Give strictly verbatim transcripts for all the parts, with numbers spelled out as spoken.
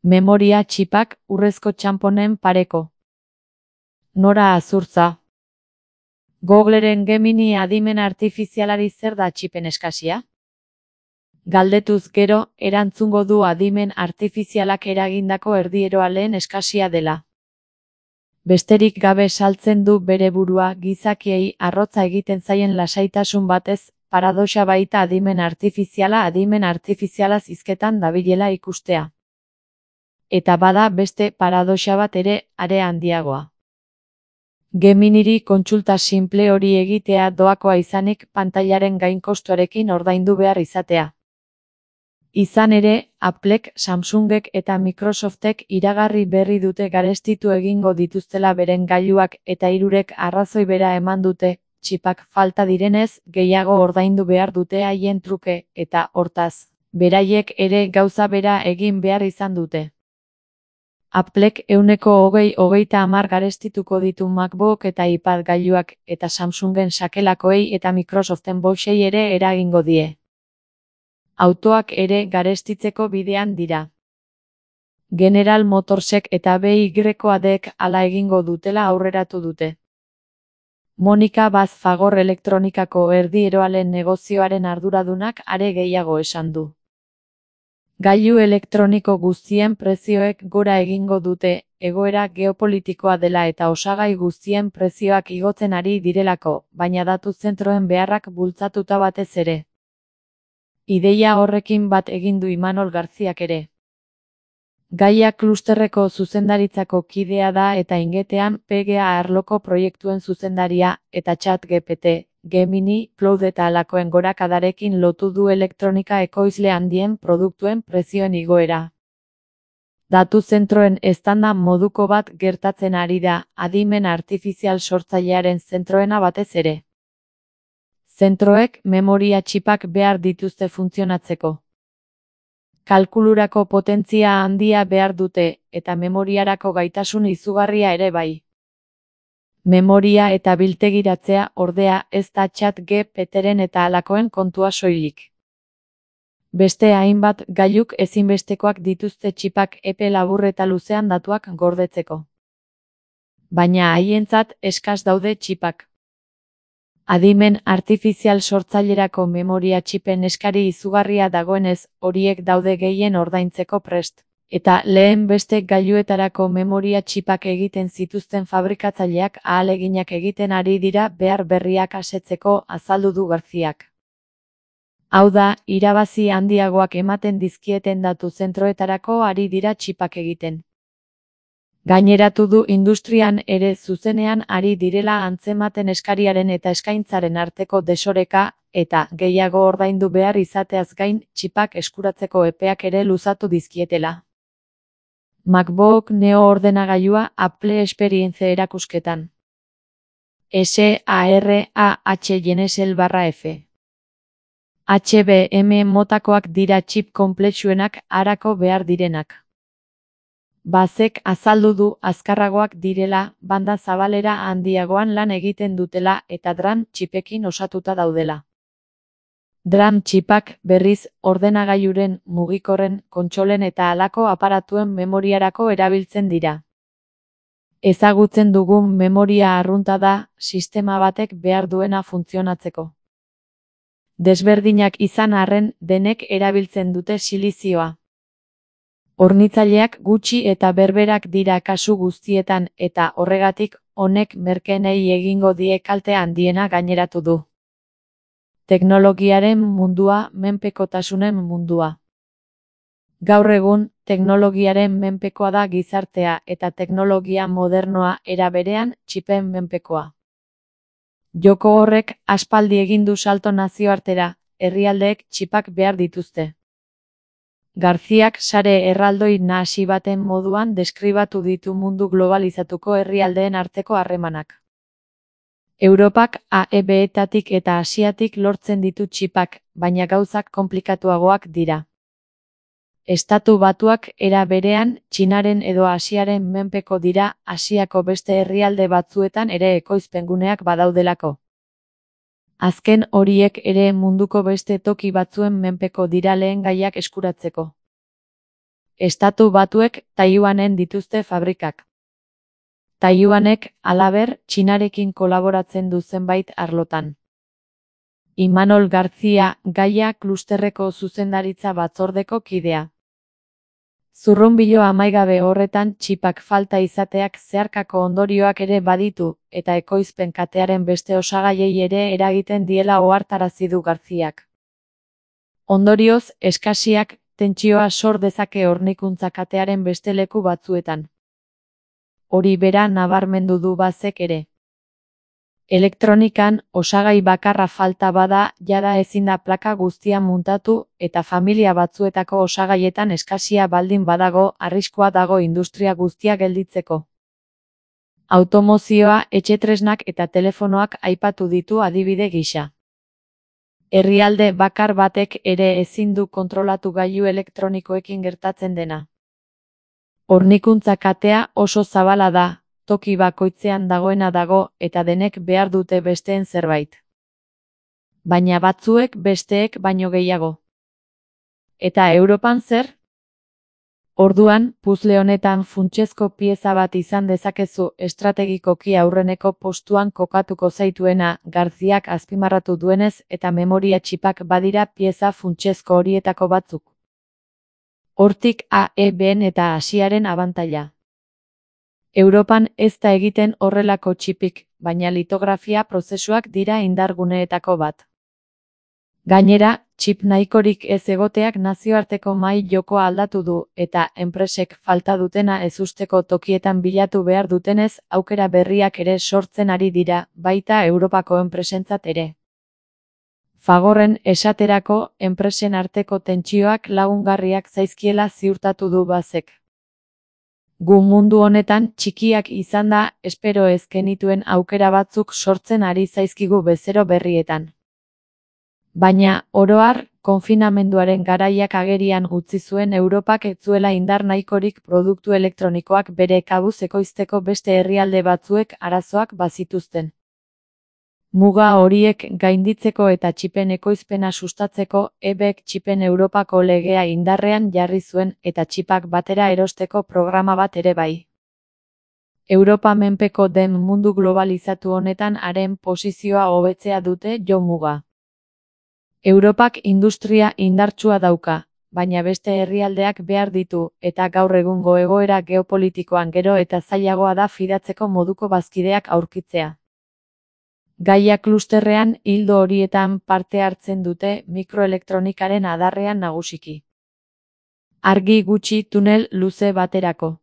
Memoria txipak urrezko txanponen pareko. Nora Azurtza. Googleren Gemini adimen artifizialari zer da txipen eskasia? Galdetuz gero, erantzungo du adimen artifizialak eragindako erdieroaleen eskasia dela. Besterik gabe saltzen du bere burua gizakiei arrotza egiten zaien lasaitasun batez, paradoxa baita adimen artifiziala adimen artifizialaz hizketan dabilela ikustea. Eta bada beste paradoxa bat ere, are handiagoa. Geminiri kontsulta simple hori egitea doakoa izanik pantailaren gainkostuarekin ordaindu behar izatea. Izan ere, Applek, Samsungek eta Microsoftek iragarri berri dute garestitu egingo dituztela beren gailuak eta hirurek arrazoi bera eman dute, txipak falta direnez, gehiago ordaindu behar dute haien truke, eta, hortaz, beraiek ere gauza bera egin behar izan dute. Applek ehuneko hogei hogeita hamar garestituko ditu MacBook eta iPad gailuak, eta Samsungen sakelakoei eta Microsoften boxei ere eragingo die. Autoak ere garestitzeko bidean dira. General Motorsek eta B Y Dek hala egingo dutela aurreratu dute. Monika Baz Fagor elektronikako erdieroalen negozioaren arduradunak are gehiago esan du. Gailu elektroniko guztien prezioek gora egingo dute, egoera geopolitikoa dela eta osagai guztien prezioak igotzen ari direlako, baina datu zentroen beharrak bultzatuta batez ere. Ideia horrekin bat egin du Imanol Garziak ere. Gaia klusterreko zuzendaritzako kidea da eta ingetean P G A arloko proiektuen zuzendaria, eta ChatGPT, Gemini, Cloud eta alakoen gorakadarekin lotu du elektronika ekoizle handien produktuen prezioen igoera. Datu zentroen eztanda moduko bat gertatzen ari da, adimen artifizial sortzailearen zentroena batez ere. Zentroek memoria txipak behar dituzte funtzionatzeko. Kalkulurako potentzia handia behar dute, eta memoriarako gaitasun izugarria ere bai. Memoria eta biltegiratzea, ordea, ez da ChatGPTren eta alakoen kontua soilik. Beste hainbat gailuk ezinbestekoak dituzte txipak epe labur eta luzean datuak gordetzeko. Baina haientzat eskas daude txipak. Adimen artifizial sortzailerako memoria txipen eskari izugarria dagoenez, horiek daude gehien ordaintzeko prest. Eta lehen beste gailuetarako memoria txipak egiten zituzten fabrikatzaileak ahaleginak egiten ari dira behar berriak asetzeko, azaldu du Garziak. Hau da, irabazi handiagoak ematen dizkieten datu zentroetarako ari dira txipak egiten. Gaineratu du industrian ere zuzenean ari direla antzematen eskariaren eta eskaintzaren arteko desoreka, eta gehiago ordaindu behar izateaz gain, txipak eskuratzeko epeak ere luzatu dizkietela. MacBook Neo ordenagailua Apple Experience erakusketan. S A R A H Genesel barra F. H B M motakoak dira txip konplexuenak arako behar direnak. Bazek azaldu du azkarragoak direla, banda zabalera handiagoan lan egiten dutela eta DRAM txipekin osatuta daudela. DRAM txipak, berriz, ordenagailuren, mugikorren, kontsolen eta halako aparatuen memoriarako erabiltzen dira. Ezagutzen dugun memoria arrunta da, sistema batek behar duena funtzionatzeko. Desberdinak izan arren, denek erabiltzen dute silizioa. Hornitzaileak gutxi eta berberak dira kasu guztietan eta horregatik, honek merkeenei egingo die kalte handiena gaineratu du. Teknologiaren mundua, menpekotasunen mundua. Gaur egun, teknologiaren menpekoa da gizartea eta teknologia modernoa era berean txipen menpekoa. Joko horrek aspaldi egin du salto nazioartera, herrialdeek txipak behar dituzte. Garziak sare erraldoi nahasi baten moduan deskribatu ditu mundu globalizatuko herrialdeen arteko harremanak. Europak A E B-etatik eta Asiatik lortzen ditu txipak, baina gauzak konplikatuagoak dira. Estatu Batuak era berean, Txinaren edo Asiaren menpeko dira, Asiako beste herrialde batzuetan ere ekoizpenguneak badaudelako. Azken horiek ere munduko beste toki batzuen menpeko dira lehen gaiak eskuratzeko. Estatu Batuek Taiwanen dituzte fabrikak. Taiwanek, halaber, Txinarekin kolaboratzen du zenbait arlotan. Imanol Garzia, Gaia klusterreko zuzendaritza batzordeko kidea. Zurrunbilo amaigabe horretan txipak falta izateak zeharkako ondorioak ere baditu, eta ekoizpen katearen beste osagaiei ere eragiten diela ohartarazi du Garziak. Ondorioz, eskasiak tentsioa sor dezake hornikuntza katearen beste leku batzuetan. Hori bera nabarmendu du Bazek ere. Elektronikan, osagai bakarra falta bada, jada ezin da plaka guztia muntatu, eta familia batzuetako osagaietan eskasia baldin badago, arriskua dago industria guztia gelditzeko. Automozioa, etxetresnak eta telefonoak aipatu ditu adibide gisa. Herrialde bakar batek ere ezin du kontrolatu gailu elektronikoekin gertatzen dena. Hornikuntza katea oso zabala da, toki bakoitzean dagoena dago eta denek behar dute besteen zerbait. Baina batzuek besteek baino gehiago. Eta Europan zer? Orduan, puzzle honetan funtsezko pieza bat izan dezakezu estrategikoki aurreneko postuan kokatuko zaituena, Garziak azpimarratu duenez eta memoria txipak badira pieza funtsezko horietako batzuk. Hortik A E B-en eta Asiaren abantaila. Europan ez da egiten horrelako txipik, baina litografia prozesuak dira indarguneetako bat. Gainera, txip nahikorik ez egoteak nazioarteko mahai jokoa aldatu du, eta enpresek falta dutena ezusteko tokietan bilatu behar dutenez, aukera berriak ere sortzen ari dira, baita Europako enpresentzat ere. Fagorren esaterako, enpresen arteko tentsioak lagungarriak zaizkiela ziurtatu du Bazek. Gu mundu honetan txikiak izan da, espero ez genituen aukera batzuk sortzen ari zaizkigu bezero berrietan. Baina, oro har, konfinamenduaren garaiak agerian utzi zuen Europak ez zuela indar nahikorik produktu elektronikoak bere kabuz ekoizteko beste herrialde batzuek arazoak bazituzten. Muga horiek gainditzeko eta txipen ekoizpena sustatzeko, E B-ek txipen Europako legea indarrean jarri zuen eta txipak batera erosteko programa bat ere bai. Europa menpeko den mundu globalizatu honetan haren posizioa hobetzea dute jo muga. Europak industria indartsua dauka, baina beste herrialdeak behar ditu, eta gaur egungo egoera geopolitikoan gero eta zailagoa da fidatzeko moduko bazkideak aurkitzea. Gaia klusterrean ildo horietan parte hartzen dute mikroelektronikaren adarrean nagusiki. Argi gutxi tunel luze baterako.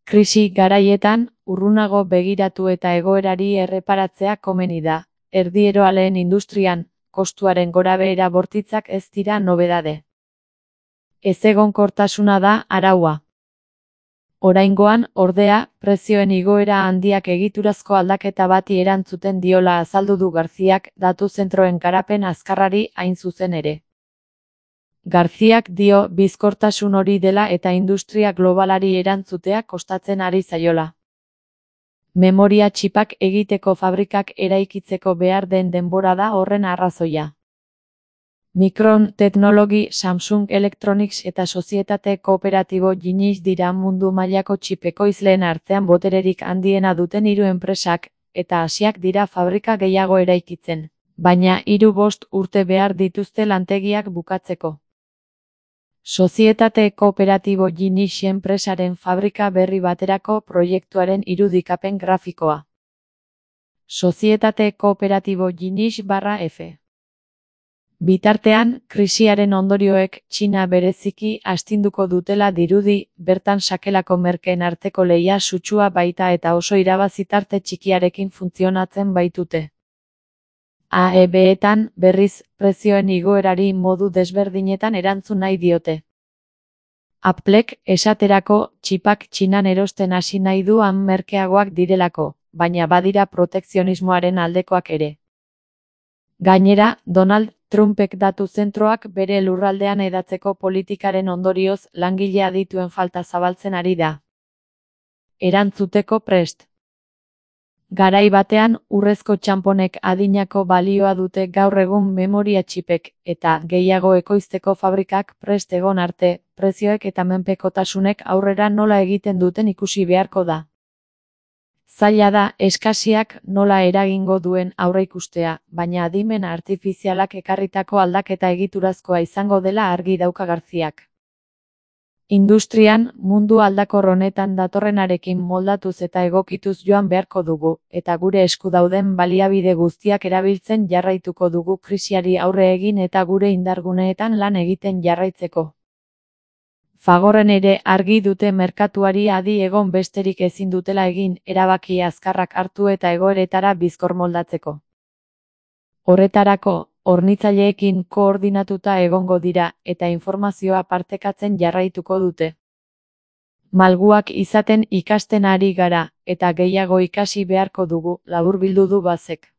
Krisi garaietan, urrunago begiratu eta egoerari erreparatzea komeni da. Erdieroaleen industrian, kostuaren gorabehera bortitzak ez dira nobedade. Ezegonkortasuna da araua. Oraingoan, ordea, prezioen igoera handiak egiturazko aldaketa bati erantzuten diola azaldu du Garziak datu zentroen garapen azkarrari hain zuzen ere. Garziak dio bizkortasun hori dela eta industria globalari erantzutea kostatzen ari zaiola. Memoria txipak egiteko fabrikak eraikitzeko behar den denbora da horren arrazoia. Micron Technology, Samsung Electronics eta sozietate kooperatibo Genius dira mundu mailako txip ekoizleen artean botererik handiena duten hiru enpresak, eta Asiak dira fabrika gehiago eraikitzen, baina hiru bost urte behar dituzte lantegiak bukatzeko. Sozietate kooperatibo Genius enpresaren fabrika berri baterako proiektuaren irudikapen grafikoa. Sozietate kooperatibo Genius barra F. Bitartean, krisiaren ondorioek Txina bereziki astinduko dutela dirudi, bertan sakelako merkeen arteko lehia sutsua baita eta oso irabazitarte txikiarekin funtzionatzen baitute. A E B-etan, berriz, prezioen igoerari modu desberdinetan erantzun nahi diote. Applek, esaterako, txipak Txinan erosten hasi nahi du han merkeagoak direlako, baina badira protekzionismoaren aldekoak ere. Gainera, Donald Trumpek datu zentroak bere lurraldean edatzeko politikaren ondorioz langile adituen falta zabaltzen ari da. Erantzuteko prest. Garai batean, urrezko txanponek adinako balioa dute gaur egun memoria txipek, eta gehiago ekoizteko fabrikak prest egon arte, prezioek eta menpekotasunek aurrera nola egiten duten ikusi beharko da. Zaila da eskasiak nola eragingo duen aurreikustea, baina adimen artifizialak ekarritako aldaketa egiturazkoa izango dela argi dauka Garziak. Industrian, mundu aldakor honetan datorrenarekin moldatuz eta egokituz joan beharko dugu, eta gure esku dauden baliabide guztiak erabiltzen jarraituko dugu krisiari aurre egin eta gure indarguneetan lan egiten jarraitzeko. Fagorren ere argi dute merkatuari adi egon besterik ezin dutela egin, erabaki azkarrak hartu eta egoeretara bizkor moldatzeko. Horretarako, hornitzaileekin koordinatuta egongo dira, eta informazioa partekatzen jarraituko dute. Malguak izaten ikasten ari gara, eta gehiago ikasi beharko dugu, laburbildu du Bazek.